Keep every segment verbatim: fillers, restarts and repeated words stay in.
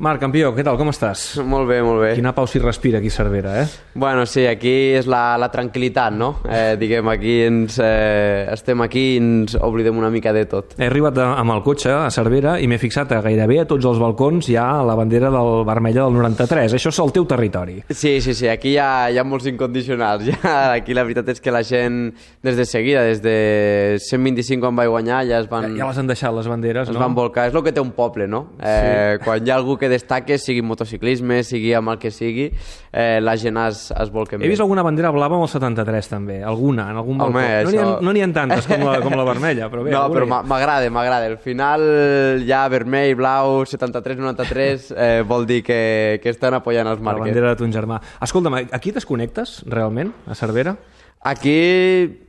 Marc, campió, què tal, com estàs? Molt bé, molt bé. Quina pau s'hi respira aquí a Cervera, eh? Bueno, sí, aquí és la, la tranquil·litat, no? Eh, diguem, aquí ens, eh, estem aquí i ens oblidem una mica de tot. He arribat a, amb el cotxe a Cervera i m'he fixat a gairebé a tots els balcons hi ha la bandera del vermella del noranta-tres. Això és el teu territori. Sí, sí, sí, aquí hi ha, hi ha molts incondicionals. Ja, aquí la veritat és que la gent, des de seguida, des de cent vint-i-cinc quan vaig guanyar, ja es van... Ja, ja les han deixat, les banderes, es no? van volcar. És el que té un poble, no? Eh, sí. Quan hi ha algú que destaque, sigui motociclisme, sigui amb el que sigui, eh, la gent es, es volca He vist alguna bandera blava amb el setanta-tres, també. Alguna, en algun balcó. Home, no n'hi això... ha, no n'hi ha tantes com la, com la vermella, però bé. No, però m'agrada, m'agrada. Al final, ja vermell, blau, setanta-tres, noranta-tres, eh, vol dir que, que estan apoyant els marques. La bandera de ton germà. Escolta'm, aquí desconnectes, realment, a Cervera? Aquí,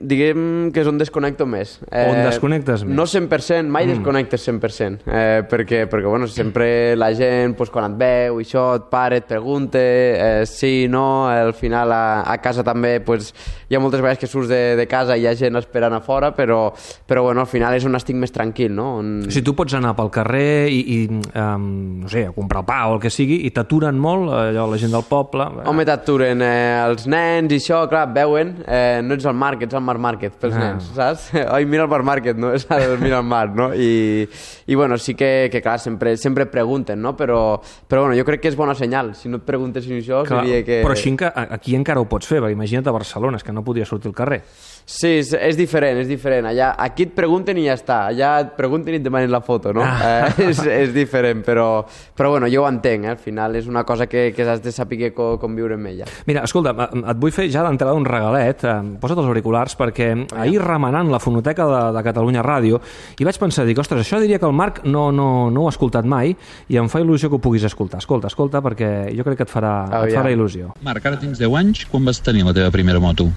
diguem que és on desconnecto més. Eh, on desconnectes més? No cent per cent, mai mm. desconnectes cent per cent. Eh, perquè, perquè, bueno, sempre la gent, pues, quan et veu, i això, et para, et pregunta, eh, sí, no, al final a, a casa també, pues, hi ha moltes vegades que surts de, de casa i hi ha gent esperant a fora, però, però bueno, al final és on estic més tranquil, no? On... O sigui, tu pots anar pel carrer i, i um, no sé, a comprar el pa o el que sigui, i t'aturen molt, allò, la gent del poble... Home, t'aturen eh, els nens i això, clar, veuen... Eh, no ets al Marc, ets al Mar Market pels ah. nens, saps? Oi, mira el Mar Market, no? És el mira el mar, no? I, i bueno, sí que, que clar, sempre, sempre pregunten, no? Però, però bueno, jo crec que és bona senyal. Si no et preguntessin això, clar, seria que... Però així aquí encara ho pots fer, perquè imagina't a Barcelona, és que no podia sortir al carrer. Sí, és, és diferent, és diferent. Allà, aquí et pregunten i ja està. Allà et pregunten i et demanen la foto, no? Ah. Eh, és, és diferent, però, però bueno, jo ho entenc, eh? Al final és una cosa que, que has de saber com, com viure amb ella. Mira, escolta, et vull fer ja d'entrada un regalet. Posa't els auriculars, perquè ahir remenant la fonoteca de, de Catalunya Ràdio i vaig pensar, dic, ostres, això diria que el Marc no, no, no ho ha escoltat mai i em fa il·lusió que ho puguis escoltar. Escolta, escolta, perquè jo crec que et farà, oh, et farà il·lusió. Marc, ara tens deu anys, quan vas tenir la teva primera moto?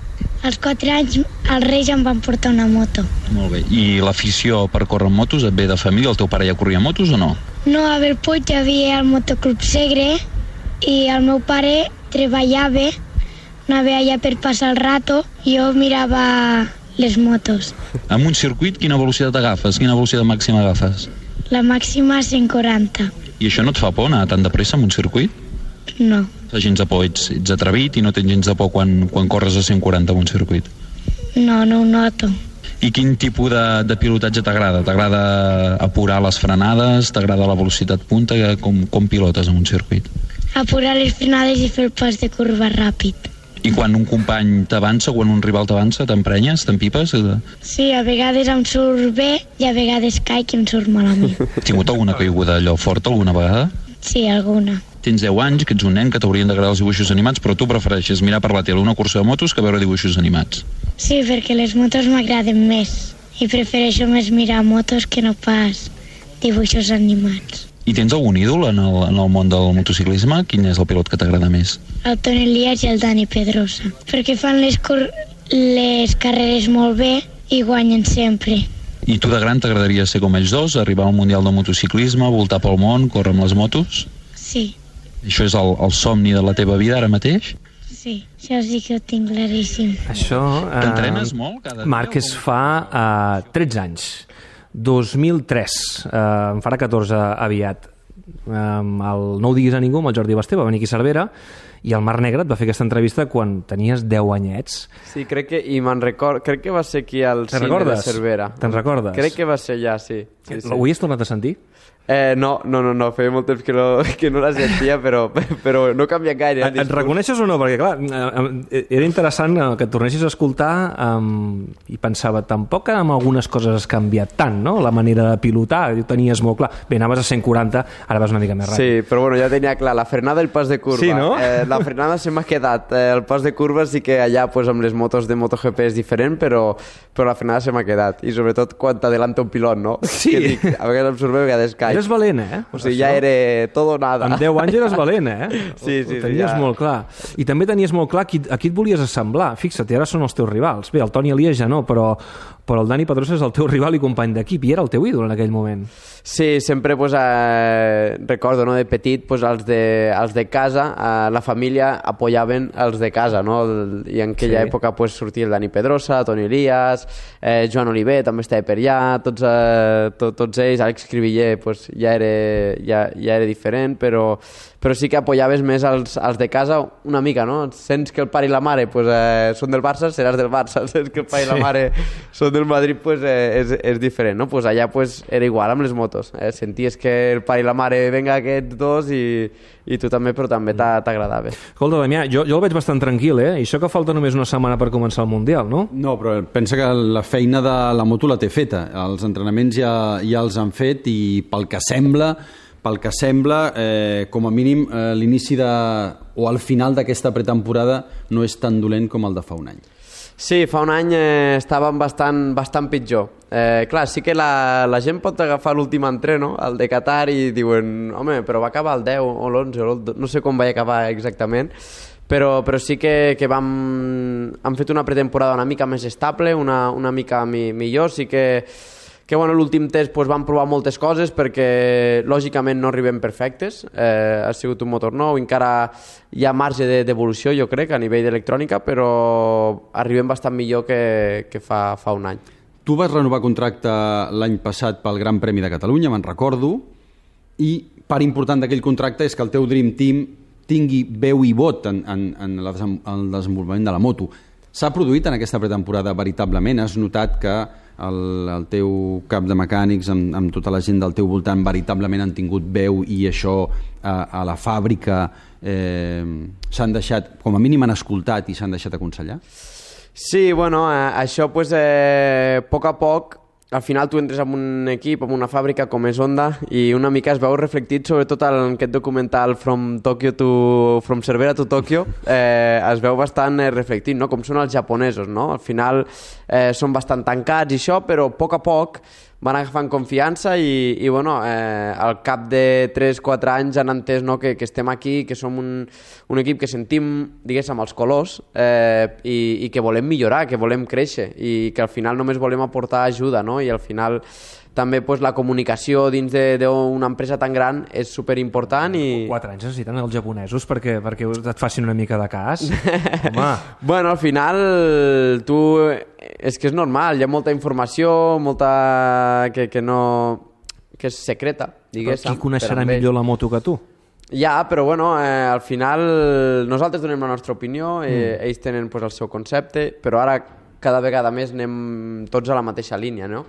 Als quatre anys els Reis em van portar una moto. Molt bé, i l'afició per córrer amb motos et ve de família? El teu pare ja corria motos o no? No, a Bellpuig hi havia el Motoclub Segre i el meu pare treballava, anava allà per passar el rato i jo mirava les motos. Amb un circuit, quina velocitat agafes? Quina velocitat màxima agafes? La màxima cent quaranta. I això no et fa por, anar tan de pressa amb un circuit? No. Fa gens de por, ets, ets atrevit i no tens gens de por quan, quan corres a cent quaranta amb un circuit? No, no ho noto. I quin tipus de, de pilotatge t'agrada? T'agrada apurar les frenades? T'agrada la velocitat punta? Com, com pilotes en un circuit? Apurar les frenades i fer el pas de curva ràpid. I quan un company t'avança, quan un rival t'avança, t'emprenyes, t'empipes? Sí, a vegades em surt bé i a vegades caic i em surt malament. Has tingut alguna caiguda allò forta alguna vegada? Sí, alguna. Tens deu anys, que ets un nen, que t'haurien d'agradar els dibuixos animats, però tu prefereixes mirar per la tele una cursa de motos que veure dibuixos animats. Sí, perquè les motos m'agraden més i prefereixo més mirar motos que no pas dibuixos animats. I tens algun ídol en el, en el món del motociclisme? Quin és el pilot que t'agrada més? El Toni Elias i el Dani Pedrosa, perquè fan les, les carreres molt bé i guanyen sempre. I tu de gran t'agradaria ser com ells dos, arribar al Mundial de Motociclisme, voltar pel món, córrer amb les motos? Sí. Això és el, el somni de la teva vida ara mateix? Sí, això sí que ho tinc claríssim. Això... Eh, T'entrenes molt cada dia? Marc, es fa uh, tretze anys. dos mil tres, eh, en farà catorze aviat. Um, el No ho diguis a ningú, amb el Jordi Basté, va venir aquí a Cervera, i el Mar Negre et va fer aquesta entrevista quan tenies deu anyets. Sí, crec que, i me'n record, crec que va ser aquí al cine de Cervera. Te'n recordes? Crec que va ser ja, sí. sí, sí. Ho has tornat a sentir? Eh, no, no, no, no, feia molt temps que no, que no la sentia, però, però no canvia gaire. Et, et reconeixes o no? Perquè, clar, era interessant que et tornessis a escoltar um, i pensava, tampoc amb algunes coses has canviat tant, no? La manera de pilotar, ho tenies molt clar. Bé, anaves a cent quaranta, ara vas una mica més ràpid. Sí, però bueno, ja tenia clar, la frenada i el pas de curva. Sí, no? Eh, la frenada se m'ha quedat, eh, el pas de curva sí que allà pues, amb les motos de MotoGP és diferent, però, però la frenada se m'ha quedat. I sobretot quan t'adelanta un pilot, no? Sí. Que dic, a vegades em surt bé, a vegades caic. Eres valent, eh? O sigui, ja era tot o nada. Amb deu anys eres valent, eh? Sí, sí, ho tenies sí, ja. molt clar. I també tenies molt clar a qui, a qui et volies assemblar. Fixa't, ara són els teus rivals. Bé, el Toni Elias ja no, però, però el Dani Pedrosa és el teu rival i company d'equip i era el teu ídol en aquell moment. Sí, sempre pues, eh, recordo, no, de petit pues, els, de, els de casa, eh, la família apoyaven els de casa, no? I en aquella sí. època pues, sortia el Dani Pedrosa, Toni Elias, eh, Joan Oliver també estava per allà, tots, eh, to, tots ells, Àlex Cribiller pues, ja, era, ja, ja era diferent, però, però sí que apoyaves més els, els de casa una mica, no? Sents que el pare i la mare pues, eh, són del Barça, seràs del Barça, sents que el pare sí. i la mare són del Madrid, pues, eh, és, és diferent, no? Pues allà pues, era igual amb les motos. Eh? Senties que el pare i la mare venga aquests dos i, i tu també, però també t'agradava. Escolta, Damià, jo, jo el veig bastant tranquil, eh? I això que falta només una setmana per començar el Mundial, no? No, però pensa que la feina de la moto la té feta. Els entrenaments ja, ja els han fet i pel que sembla, pel que sembla, eh, com a mínim, eh, l'inici de, o al final d'aquesta pretemporada no és tan dolent com el de fa un any. Sí, fa un any eh, estàvem bastant, bastant pitjor. Eh, clar, sí que la, la gent pot agafar l'últim entreno, el de Qatar, i diuen, home, però va acabar el deu o l'onze, o el, no sé com va acabar exactament, però, però sí que, que vam, hem fet una pretemporada una mica més estable, una, una mica mi, millor, sí que que bueno, l'últim test pues, vam provar moltes coses perquè lògicament no arribem perfectes, eh, ha sigut un motor nou, encara hi ha marge d'evolució jo crec a nivell d'electrònica, però arribem bastant millor que, que fa, fa un any. Tu vas renovar contracte l'any passat pel Gran Premi de Catalunya, me'n recordo, i part important d'aquell contracte és que el teu Dream Team tingui veu i vot en, en, en el desenvolupament de la moto. S'ha produït en aquesta pretemporada veritablement? Has notat que el, el teu cap de mecànics amb, amb tota la gent del teu voltant veritablement han tingut veu i això a, a la fàbrica eh, s'han deixat, com a mínim han escoltat i s'han deixat aconsellar? Sí, bueno, eh, això pues, eh, a poc a poc al final tu entres en un equip, en una fàbrica com és Honda i una mica es veu reflectit sobretot en aquest documental From Tokyo to From Cervera to Tokyo, eh, es veu bastant eh, reflectit, no? Com són els japonesos, no? Al final eh, són bastant tancats i això, però a poc a poc van agafant confiança i, i bueno, eh, al cap de tres quatre anys han entès, no, que, que estem aquí, que som un, un equip que sentim, diguéssim, els colors eh, i, i que volem millorar, que volem créixer i que al final només volem aportar ajuda, no? I al final també pues, la comunicació dins d'una empresa tan gran és superimportant i... Quatre anys necessiten els japonesos perquè, perquè et facin una mica de cas. Home. Bueno, al final tu... És que és normal, hi ha molta informació, molta... que, que no... que és secreta, diguéssim. Però qui coneixerà millor la moto que tu? Ja, però bueno, eh, al final nosaltres donem la nostra opinió, eh, mm. ells tenen pues, el seu concepte, però ara cada vegada més anem tots a la mateixa línia, no?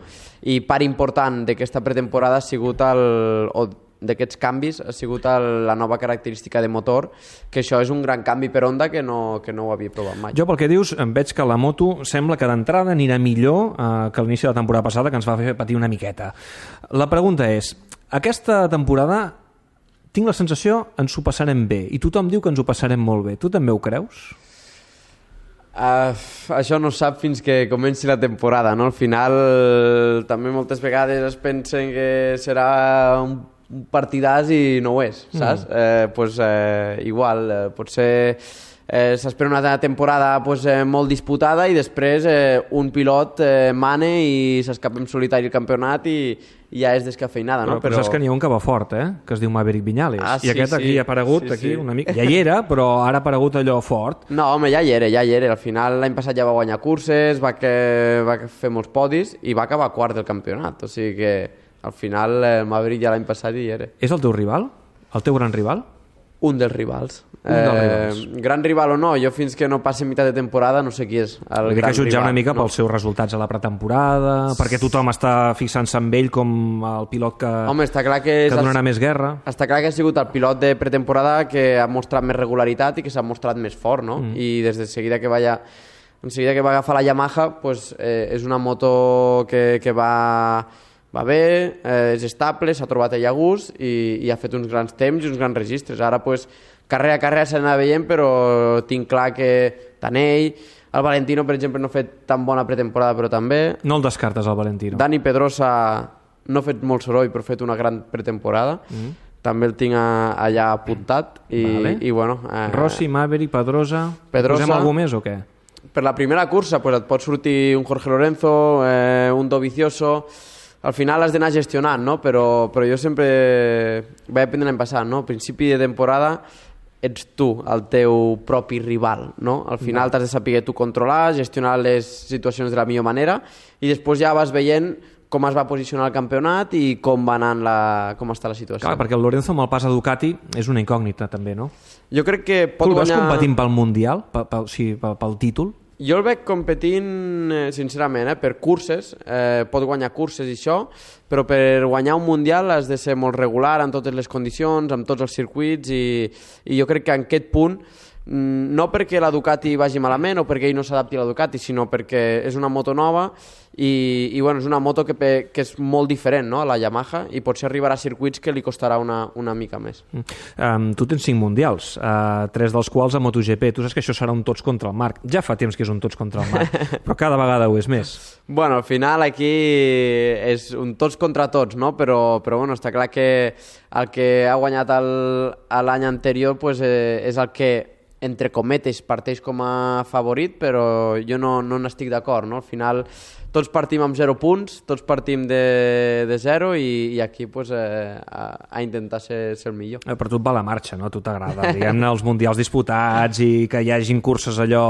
I part important d'aquesta pretemporada ha sigut el, o d'aquests canvis ha sigut el, la nova característica de motor, que això és un gran canvi per Honda que no, que no ho havia provat mai. Jo pel que dius em veig que la moto sembla que d'entrada anirà millor eh, que l'inici de la temporada passada, que ens va fer patir una miqueta. La pregunta és, aquesta temporada tinc la sensació ens ho passarem bé i tothom diu que ens ho passarem molt bé. Tu també ho creus? Uh, això no es sap fins que comenci la temporada, no? Al final també moltes vegades es pensen que serà un, un partidàs i no ho és, saps? Mm. Eh, pues, eh, igual, eh, potser eh, s'espera una temporada pues, eh, molt disputada i després eh, un pilot eh, mane i s'escapa en solitari el campionat i i ja és descafeinada, no? Però, però saps que n'hi ha un que va fort, eh? Que es diu Maverick Viñales. Ah, sí, I aquest aquí sí. ha aparegut, sí, aquí sí. una mica... Ja hi era, però ara ha aparegut allò fort. No, home, ja hi era, ja hi era. Al final l'any passat ja va guanyar curses, va, que, va fer molts podis i va acabar quart del campionat. O sigui que al final el Maverick ja l'any passat hi era. És el teu rival? El teu gran rival? Un dels rivals. Un dels rivals. Eh, gran rival o no, jo fins que no passi mitjà de temporada no sé qui és el Vull gran que jutjar rival. una mica no. pels seus resultats a la pretemporada, perquè tothom està fixant-se en ell com el pilot que, Home, està clar que, que donarà el... més guerra. Està clar que ha sigut el pilot de pretemporada que ha mostrat més regularitat i que s'ha mostrat més fort, no? Mm. I des de seguida que va, ja, en seguida que va agafar la Yamaha pues, eh, és una moto que, que va... va bé, eh, és estable, s'ha trobat ell a gust i, i ha fet uns grans temps i uns grans registres. Ara, pues, carrera a carrera s'anava veient, però tinc clar que tant ell, el Valentino, per exemple, no ha fet tan bona pretemporada, però també... No el descartes, el Valentino. Dani Pedrosa no ha fet molt soroll, però ha fet una gran pretemporada. Mm. També el tinc a, allà apuntat. I, vale. i bueno... Eh, Rossi, Maverick, Pedrosa... Pedrosa... Posem algú més o què? per la primera cursa pues, et pot sortir un Jorge Lorenzo, eh, un Dovizioso... Al final has d'anar gestionant, no? Però, però jo sempre vaig aprendre l'any passat, no? A principi de temporada ets tu el teu propi rival, no? Al final t'has de saber tu controlar, gestionar les situacions de la millor manera i després ja vas veient com es va posicionar el campionat i com va anant la, com està la situació. Clar, perquè el Lorenzo amb el pas a Ducati és una incògnita també, no? Jo crec que pot tu el guanyar... vas competint pel Mundial, pel, pel, sí, pel, pel títol? Jo el veig competint, eh, sincerament, eh, per curses, eh, pot guanyar curses i això, però per guanyar un Mundial has de ser molt regular en totes les condicions, amb tots els circuits, i, i jo crec que en aquest punt, no perquè la Ducati vagi malament o perquè ell no s'adapti a la Ducati, sinó perquè és una moto nova i, i bueno, és una moto que, que és molt diferent, no?, a la Yamaha, i potser arribarà a circuits que li costarà una, una mica més. Um, tu tens cinc mundials, uh, tres dels quals a MotoGP. Tu saps que això serà un tots contra el Marc. Ja fa temps que és un tots contra el Marc, però cada vegada ho és més. Bueno, al final aquí és un tots contra tots, no? Però, però bueno, està clar que el que ha guanyat l'any anterior pues, eh, és el que entre cometes parteix com a favorit, però jo no, no n'estic d'acord, no? Al final tots partim amb zero punts, tots partim de, de zero i, i aquí pues, eh, a, a intentar ser, ser el millor. Eh, però tu et va la marxa, no? A tu t'agrada, diguem-ne, els mundials disputats i que hi hagin curses allò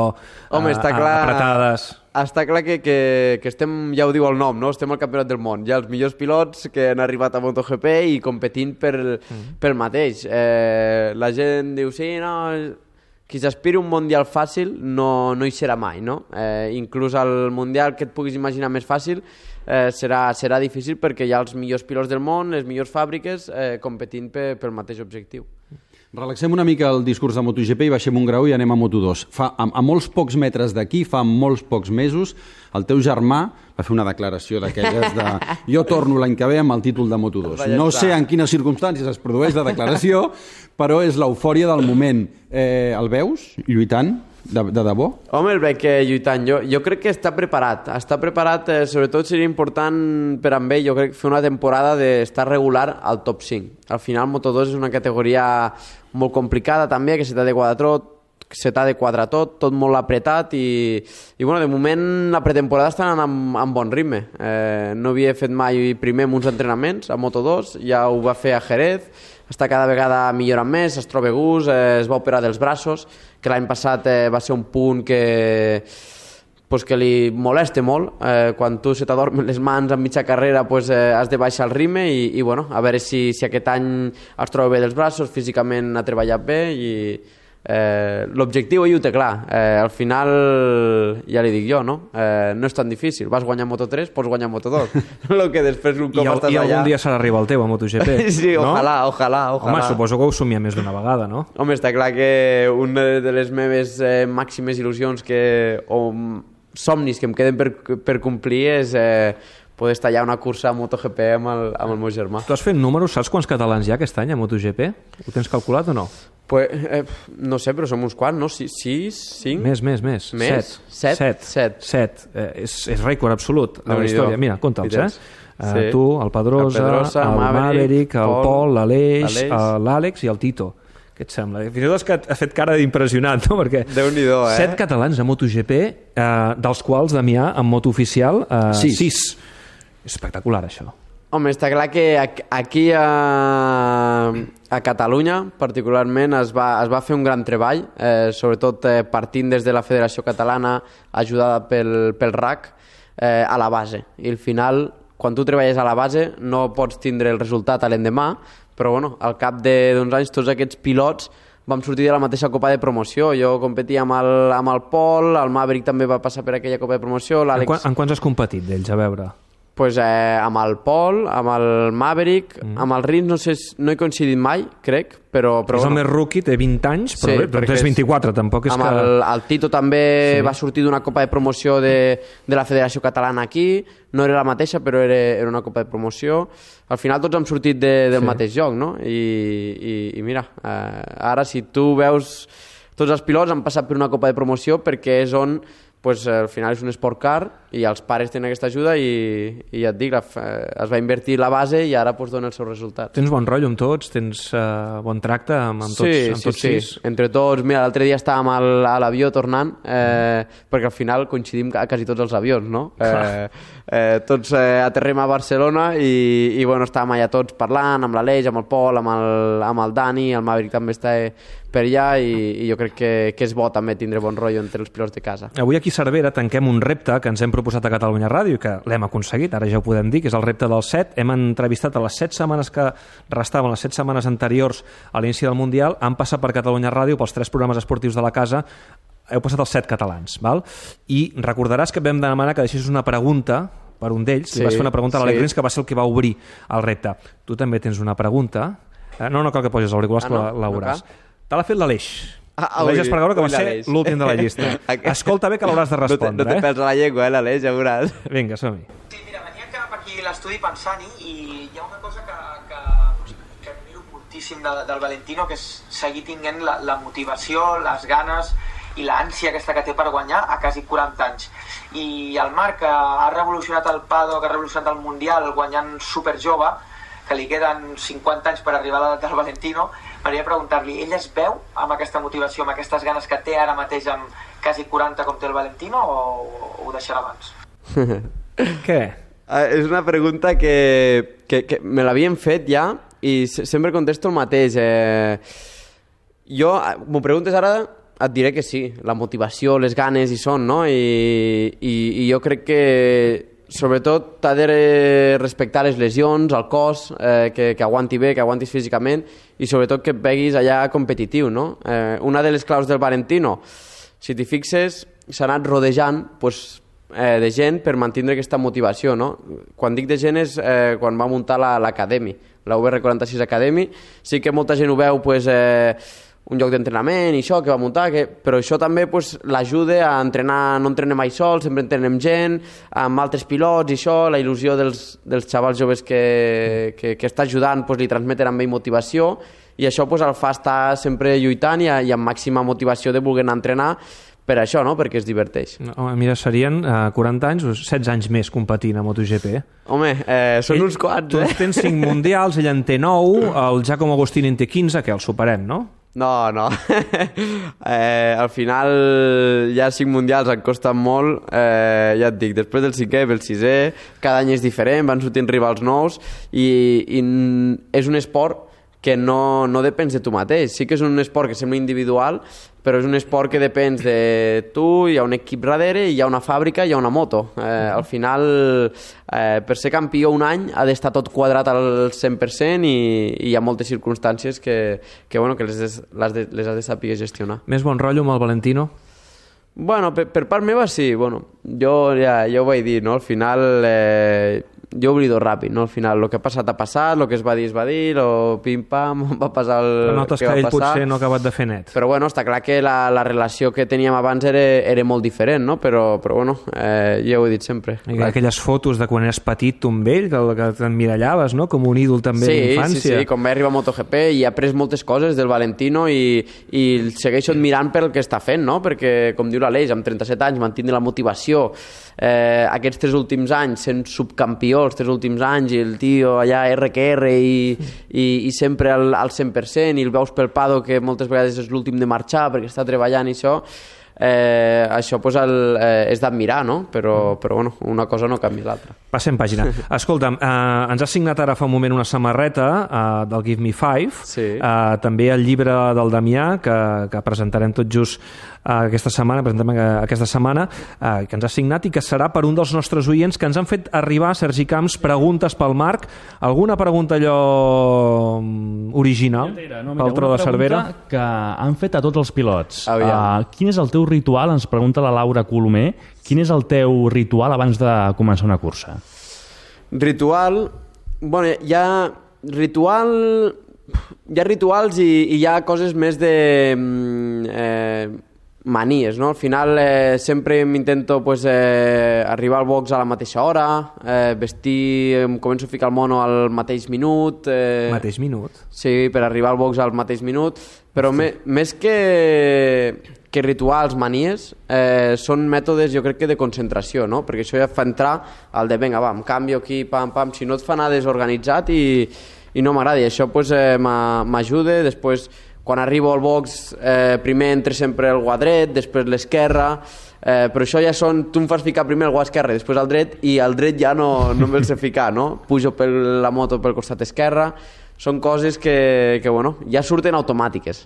Home, està eh, clar, apretades. Està clar que, que, que estem, ja ho diu el nom, no? Estem al campionat del món. Hi ha els millors pilots que han arribat a MotoGP i competint per, mm. pel mateix. Eh, la gent diu, sí, no... Qui s'aspiri un mundial fàcil no, no hi serà mai, no? Eh, inclús el mundial que et puguis imaginar més fàcil eh, serà, serà difícil perquè hi ha els millors pilots del món, les millors fàbriques eh, competint pe, pel mateix objectiu. Relaxem una mica el discurs de MotoGP i baixem un grau i anem a Moto dos. Fa, a, a molts pocs metres d'aquí, fa molts pocs mesos, el teu germà va fer una declaració d'aquelles de jo torno l'any que ve amb el títol de Moto dos. No sé en quines circumstàncies es produeix la declaració, però és l'eufòria del moment. Eh, el veus lluitant? De, de debò? Home, el veig que lluitant. Jo, jo crec que està preparat. Està preparat, eh, sobretot seria important per amb ell, jo crec, fer una temporada d'estar regular al top cinc. Al final, Moto dos és una categoria molt complicada també, que se t'ha de quadrar tot, se t'ha de quadrar tot, tot molt apretat i, i bueno, de moment la pretemporada està anant amb, amb bon ritme. Eh, no havia fet mai primer amb uns entrenaments a Moto dos, ja ho va fer a Jerez, està cada vegada millorant més, es troba gust, eh, es va operar dels braços, que l'any passat eh, va ser un punt que, pues, que li molesta molt. Eh, quan tu se t'adormen les mans en mitja carrera pues, eh, has de baixar el ritme i, i bueno, a veure si, si aquest any es troba bé dels braços, físicament ha treballat bé i eh, l'objectiu ell ho té clar. Eh, al final, ja li dic jo, no? Eh, no és tan difícil. Vas guanyar Moto tres, pots guanyar Moto dos. Lo que després un cop I, el, estàs i allà... algun dia serà arribar el teu a MotoGP. Sí, no? ojalà, ojalà, ojalà. Home, suposo que ho somia més d'una vegada, no? Home, està clar que una de les meves eh, màximes il·lusions que, o somnis que em queden per, per complir és eh, poder estar allà a una cursa a MotoGP amb el, amb el meu germà. Tu has fet números, saps quants catalans hi ha aquest any a MotoGP? Ho tens calculat o no? Pues, eh, no sé, però som uns quants, no? sis, cinc? Més, més, més. Més? Set. Set? Set. Set. Eh, és, és rècord absolut a la història. Mira, compta'ls, eh? Uh, sí. Tu, el Pedrosa, el, Pedrosa, el Maverick, Maverick, el Pol, l'Aleix, l'Àlex i el Tito. Què et sembla? Fins i tot ha fet cara d'impressionant, no? Perquè Déu-n'hi-do, eh? Set catalans a MotoGP, eh, dels quals Damià, en moto oficial, eh, sis. sis. És espectacular, això. Home, està clar que aquí a, a Catalunya, particularment, es va, es va fer un gran treball, eh, sobretot eh, partint des de la Federació Catalana, ajudada pel, pel R A C, eh, a la base. I al final, quan tu treballes a la base, no pots tindre el resultat a l'endemà, però bueno, al cap d'uns anys tots aquests pilots vam sortir de la mateixa copa de promoció. Jo competia amb el, amb el Pol, el Maverick també va passar per aquella copa de promoció, l'Àlex... En, quan, en quants has competit d'ells, a veure? Pues, eh, amb el Pol, amb el Maverick, mm. amb el Rins no sé, no he coincidit mai, crec, però... però és bueno. el més rookie, té vint anys, però sí, bé, és vint-i-quatre, tampoc és amb que... El, el Tito també sí. Va sortir d'una copa de promoció de, de la Federació Catalana aquí, no era la mateixa, però era, era una copa de promoció. Al final tots hem sortit de, del sí. mateix lloc, no? I, i, i mira, eh, ara si tu veus... Tots els pilots han passat per una copa de promoció perquè és on pues, al final és un esport car i els pares tenen aquesta ajuda i, i ja et dic, la, es va invertir la base i ara pues, dona els seus resultats. Tens bon rotllo amb tots? Tens uh, bon tracte amb, amb tots, sí, amb tots sí, sis? Sí, entre tots. Mira, l'altre dia estàvem al, a l'avió tornant, eh, perquè al final coincidim a quasi tots els avions, no? Eh, eh, tots eh, aterrem a Barcelona i, i bueno, estàvem allà tots parlant, amb l'Aleix, amb el Pol, amb el, amb el Dani, el Maverick també està per allà i, i jo crec que, que és bo també tindre bon rotllo entre els pilots de casa. Avui aquí a Cervera tanquem un repte que ens hem proposat a Catalunya Ràdio i que l'hem aconseguit, ara ja ho podem dir, que és el repte dels set. Hem entrevistat a les set setmanes que restaven, les set setmanes anteriors a l'inici del Mundial, han passat per Catalunya Ràdio, pels tres programes esportius de la casa, heu passat els set catalans, val? I recordaràs que vam demanar que deixessis una pregunta per un d'ells, sí, li vas fer una pregunta a l'Alec Rins, que va ser el que va obrir el repte. Tu també tens una pregunta. No, no cal que posis els auriculars, ah, no? que la veuràs. No Te l'ha fet l'Aleix. Ah, L'Aleix Espargaró, que va ser l'últim de la llista. Escolta bé que l'hauràs de respondre. No te, no te pels a la llengua, eh, l'Aleix, ja veuràs. Vinga, som-hi. Sí, mira, venia cap aquí a l'estudi pensant-hi i hi ha una cosa que, que, que admiro moltíssim de, del Valentino, que és seguir tinguent la, la motivació, les ganes i l'ànsia aquesta que té per guanyar a quasi quaranta anys. I el Marc, que ha revolucionat el paddock, que ha revolucionat el Mundial guanyant superjove, que li queden cinquanta anys per arribar a l'edat del Valentino, m'agradaria preguntar-li, ell es veu amb aquesta motivació, amb aquestes ganes que té ara mateix amb quasi quaranta com té el Valentino, o, o ho deixarà abans? Què? Uh, és una pregunta que, que, que me l'havien fet ja i sempre contesto el mateix. Eh, jo, m'ho preguntes ara, et diré que sí, la motivació, les ganes hi són, no? I, i, i jo crec que sobretot t'ha de respectar les lesions, el cos, eh, que, que aguanti bé, que aguantis físicament i sobretot que et veguis allà competitiu, no? Eh, una de les claus del Valentino, si t'hi fixes, s'ha anat rodejant pues, eh, de gent per mantenir aquesta motivació, no? Quan dic de gent és eh, quan va muntar l'Academy, la U R quaranta-sis Academy, sí que molta gent ho veu pues, eh, un lloc d'entrenament i això que va muntar, que, però això també pues, l'ajuda a entrenar, no entrenem mai sol, sempre entrenem gent, amb altres pilots i això, la il·lusió dels, dels xavals joves que, que, que està ajudant pues, li transmeten amb ell motivació i això pues, el fa estar sempre lluitant i, i amb màxima motivació de voler anar a entrenar per això, no? Perquè es diverteix. No, mira, serien eh, quaranta anys o setze anys més competint a MotoGP. Home, eh, són ell, uns quants, tu eh? Tu tens cinc mundials, ell en té nou, el Giacomo Agostini en té quinze, que el superem, no? No, no. eh, al final ja cinc mundials em costen molt, eh, ja et dic, després del cinquè, el sisè, cada any és diferent, van sortint rivals nous i, i és un esport que no, no depens de tu mateix. Sí que és un esport que sembla individual, però és un esport que depens de tu, hi ha un equip darrere, hi ha una fàbrica, hi ha una moto. Eh, al final, eh, per ser campió un any ha d'estar tot quadrat al cent per cent i, i hi ha moltes circumstàncies que, que, bueno, que les, les, de, les has de saber gestionar. Més bon rotllo amb el Valentino? Bueno, per, per part meva sí. Bueno, jo ja, ja ho vaig dir, no? Al final... Eh, jo oblido ràpid, no? Al final, el que ha passat ha passat, el que es va dir es va dir, el pim-pam, va passar el però notes que, que va ell passar. potser no ha acabat de fer net. Però bueno, està clar que la, la relació que teníem abans era, era molt diferent, no? Però, però bueno, eh, ja ho he dit sempre. I aquelles fotos de quan eres petit, tu amb ell, que, que t'emmirallaves, no? Com un ídol també sí, d'infància. Sí, sí, quan va arribar a MotoGP i ha après moltes coses del Valentino i, i el segueixo admirant pel que està fent, no? Perquè, com diu l'Aleix, amb trenta-set anys mantindre la motivació, eh, aquests tres últims anys sent subcampió, els tres últims anys, i el tio allà erre que erre i, i, i sempre al, al cent per cent i el veus pel pado que moltes vegades és l'últim de marxar perquè està treballant i això, eh, això pues, el, eh, és d'admirar, no? Però, però bueno, una cosa no canvia l'altra. Passem pàgina. Escolta'm, eh, ens ha signat ara fa un moment una samarreta eh, del Give Me Five, sí. eh, també el llibre del Damià, que, que presentarem tot just eh, aquesta setmana, presentem aquesta setmana, eh, que ens ha signat i que serà per un dels nostres oients que ens han fet arribar, Sergi Camps, preguntes pel Marc. Alguna pregunta allò original no, pel Tro de Cervera? Que han fet a tots els pilots. Uh, quin és el teu ritual? Ens pregunta la Laura Colomer. Quin és el teu ritual abans de començar una cursa? Ritual... Bueno, hi ha ritual... Hi ha rituals i, i hi ha coses més de... Eh, manies, no? Al final eh, sempre m'intento pues, eh, arribar al box a la mateixa hora, eh, vestir, em començo a ficar el mono al mateix minut. Eh, Mateix minut? Sí, per arribar al box al mateix minut, però me, més que, que rituals, manies, eh, són mètodes, jo crec que de concentració, no? Perquè això ja fa entrar al de, vinga, va, em canvio aquí, pam, pam, si no et fa anar desorganitzat i, i no m'agrada. I això pues, eh, m'ajuda. Després, quan arribo al box, eh, primer entra sempre el guà dret, després l'esquerra, eh, però això ja són, tu em fas ficar primer el guà esquerre, després el dret, i el dret ja no, no me'l sé ficar, no? Pujo per la moto pel costat esquerre, són coses que, que bueno, ja surten automàtiques.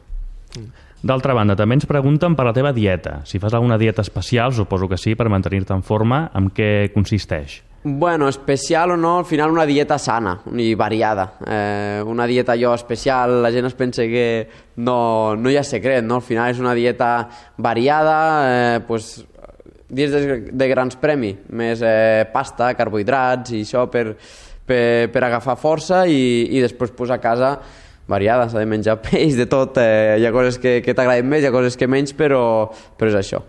D'altra banda, també ens pregunten per la teva dieta. Si fas alguna dieta especial, suposo que sí, per mantenir-te en forma, en què consisteix? Bueno, especial o no, al final una dieta sana i variada. Eh, una dieta jo especial, la gent es pensa que no, no hi ha secret, no? Al final és una dieta variada, eh, pues, dies de, de grans premi, més eh, pasta, carbohidrats i això per, per, per agafar força i, i després pues, a casa variada, s'ha de menjar peix, de tot, eh, hi ha coses que, que t'agraden més, hi ha coses que menys, però, però és això.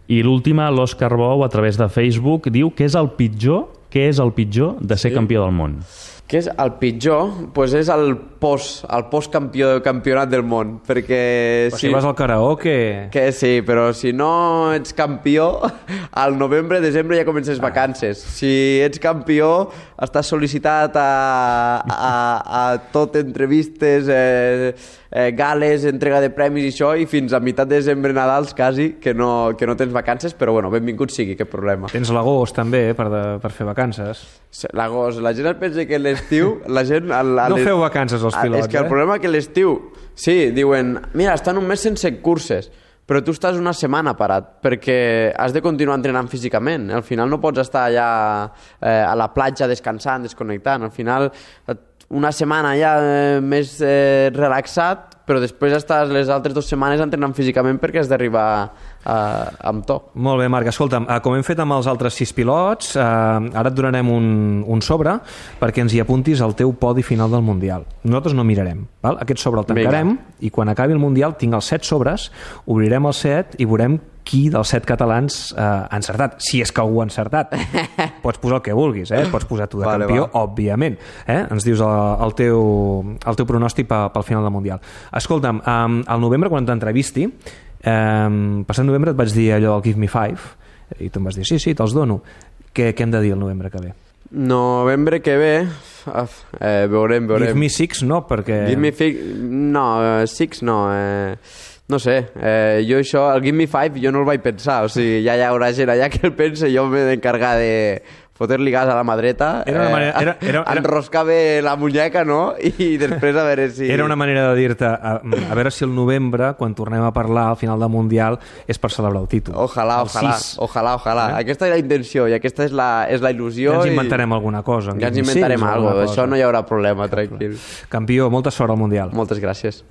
I l'última, l'Òscar Bou, a través de Facebook, diu que és el pitjor, què és el pitjor de ser sí. campió del món? Què és el pitjor? Pues és el post, el post-campió campionat del món, perquè... Però si, si vas al karaoke... Que sí, però si no ets campió, al novembre, desembre ja comences ah. vacances. Si ets campió, estàs sol·licitat a, a, a tot entrevistes, eh, eh, gales, entrega de premis i això, i fins a meitat de desembre, Nadals, quasi, que no, que no tens vacances, però bueno, benvingut sigui, cap problema. Tens l'agost també, per, de, per fer vacances. L'agost, la gent es pensa que l'estiu, la gent... A, a no feu vacances els pilots, és que el eh? problema que l'estiu, sí, diuen, mira, estan un mes sense curses, però tu estàs una setmana parat, perquè has de continuar entrenant físicament. Al final no pots estar allà eh, a la platja descansant, desconnectant. Al final, una setmana ja eh, més eh, relaxat, però després estàs les altres dues setmanes entrenant físicament perquè has d'arribar eh, amb to. Molt bé, Marc. Escolta'm, com hem fet amb els altres sis pilots, eh, ara et donarem un, un sobre perquè ens hi apuntis al teu podi final del Mundial. Nosaltres no mirarem. Val? Aquest sobre el tancarem. Vinga. I quan acabi el Mundial tinc els set sobres, obrirem els set i veurem qui dels set catalans eh, ha encertat, si és que algú ha encertat. Pots posar el que vulguis, eh? Pots posar tu de vale, campió, va. Òbviament. Eh? Ens dius el, el, teu, el teu pronòstic pel, pel final del Mundial. Escolta'm, um, al novembre, quan t'entrevisti, um, passat novembre et vaig dir allò del Give Me Five, i tu em vas dir, sí, sí, te'ls dono. Què, què hem de dir el novembre que ve? Novembre que ve, eh, veurem, veurem. Give Me Six, no, perquè... Give Me Six, no, uh, Six no, eh... No sé, eh, jo això, el Give Me Five, jo no el vaig pensar, o sigui, ja hi haurà gent allà que el pensa, jo m'he d'encargar de fotre-li gas a la mà dreta, era una manera, era, era, era... enroscar bé la muñeca, no? I després a veure si... Era una manera de dir-te, a, a veure si el novembre, quan tornem a parlar al final del Mundial, és per celebrar el títol. Ojalà, el ojalà, sis. ojalà, ojalà. Eh? Aquesta és la intenció i aquesta és la, és la il·lusió. Ja ens inventarem i... alguna cosa. Ja ens inventarem alguna cosa, això no hi haurà problema, tranquil. Campió, molta sort al Mundial. Moltes gràcies.